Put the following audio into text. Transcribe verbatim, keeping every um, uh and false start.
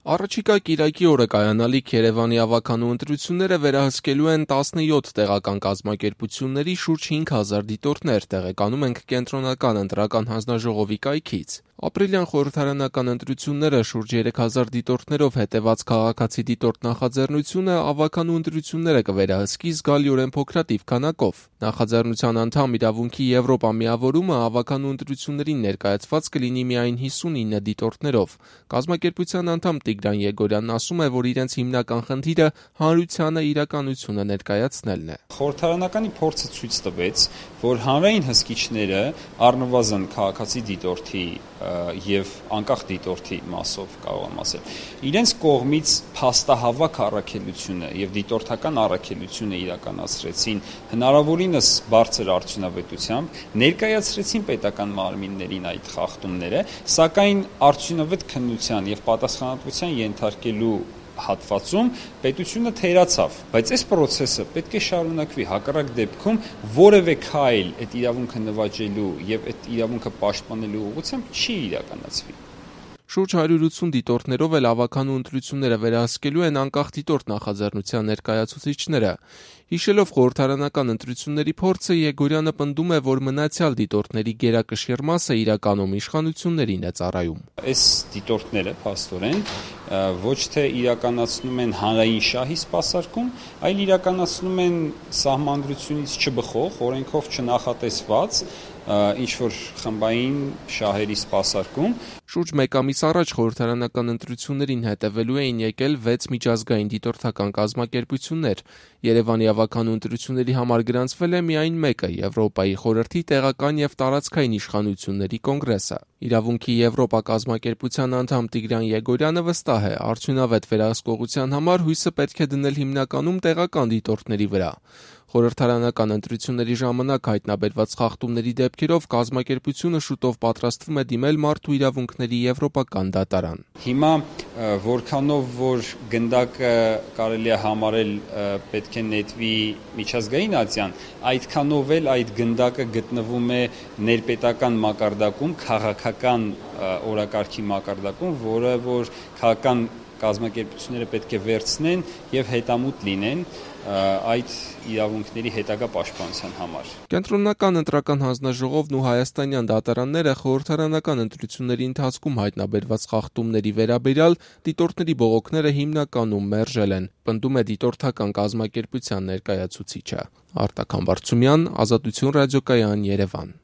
Առաջիկա կիրակի օրը կայանալիք Երևանի ավագանու ընտրությունները վերահսկելու են տասնյոթ տեղական կազմակերպությունների շուրջ հինգ հազար դիտորդներ, տեղեկանում ենք Կենտրոնական ընտրական հանձնաժողովի կայքից։ Ապրիլյան խորհրդարանական ընտրությունները շուրջ երեք հազար դիտորդներով հետևած քաղաքացի դիտորդ նախաձեռնությունը ավագանու ընտրությունները կվերահսկի զգալիորեն փոքրաթիվ քանակով։ Նախաձեռնության անդամ իրավունքի Եվրոպա միավորումը ավագանու ընտրություններին ներկայացված կլինի միայն հիսունինը դիտորդներով։ Կազմակերպության անդամ Տիգրան Եգորյանն ասում է, որ իրենց հիմնական խնդիրը հանրությանը իրականությունը ներկայացնելն է։ Խորհրդարանականի փորձը ցույց տվեց, որ հանրային հսկիչները առնվազն քաղաքացի դիտորդի եւ անկախ դիտորդի մասով կարող եմ ասել, իրենց կողմից փաստահավաք առաքելությունը եւ դիտորդական առաքելությունը իրականացրեցին հնարավորինս բարձր արդյունավետությամբ, ներկայացրեցին պետական մարմիններին այդ խախտումները, սակայն արդյունավետ քննության եւ պատասխանատվության ենթարկելու հատվածում պետությունը թերացավ, բայց այս process-ը պետք է շարունակվի, հակառակ դեպքում որևէ քայլ այդ իրավունքը նվաճելու եւ այդ իրավունքը պաշտպանելու ուղղությամբ չի իրականացվի։ Շուրջ հարյուր ութսուն դիտորդներով էլ ավագանու ընտրությունները վերահսկելու են անկախ դիտորդ նախաձեռնության ներկայացուցիչները։ Հիշելով խորհրդարանական ընտրությունների փորձը, Եգորյանը պնդում է, որ մնացյալ դիտորդների գերակշիռ մասը իրականում իշխանություններին է ծառայում։ Այս դիտորդները փաստորեն ոչ թե իրականացնում են հանրային շահի սպասարկում, այլ իրականացնում են սահմանադրությունից չբխող, օրենքով չնախատեսված ինչ-որ խմբային շահերի սպասարկում։ Շուրջ մեկ ամիս առաջ խորհրդարանական ընտրություններին հետևելու էին եկել վեց միջազգային դիտորդական կազմակերպություններ։ Երևանի ավագանու ընտրությունների համար գրանցվել է միայն մեկը՝ Եվրոպայի խորհրդի տեղական եւ տարածքային իշխանությունների կոնգրեսը։ Իրավունքի Եվրոպա կազմակերպության անդամ Տիգրան Եգորյանը վստահ է, արդյունավետ վերահսկողության համար հույսը պետք է դնել հիմնականում տեղական դիտորդների վրա։ Խորհրդարանական ընտրությունների ժամանակ հայտնաբերված խախտումների դեպքերով կազմակերպությունը շուտով պատրաստվում է դիմել Մարդու իրավունքների եվրոպական դատարան։ Հիմա որքանով որ գնդակը կարելի է համարել պետք է նետվի միջազգային ատյան, այդքանով էլ այդ գնդակը գտնվում է ներպետական մակարդակում, քաղաքական օրակարգի մակարդակում, որը որ քաղաքական կազմակերպությունները պետք է վերցնեն եւ հետամուտ լինեն այդ իրավունքների հետագա պաշտպանության համար։ Կենտրոնական ընտրական հանձնաժողովն ու հայաստանյան դատարանները խորհրդարանական ընտրությունների ընթացքում հայտնաբերված խախտումների վերաբերյալ դիտորդների բողոքները հիմնականում մերժել են, պնդում է դիտորդական կազմակերպության ներկայացուցիչը։ Արտակ Համբարձումյան, Ազատություն ռադիոկայան, Երևան։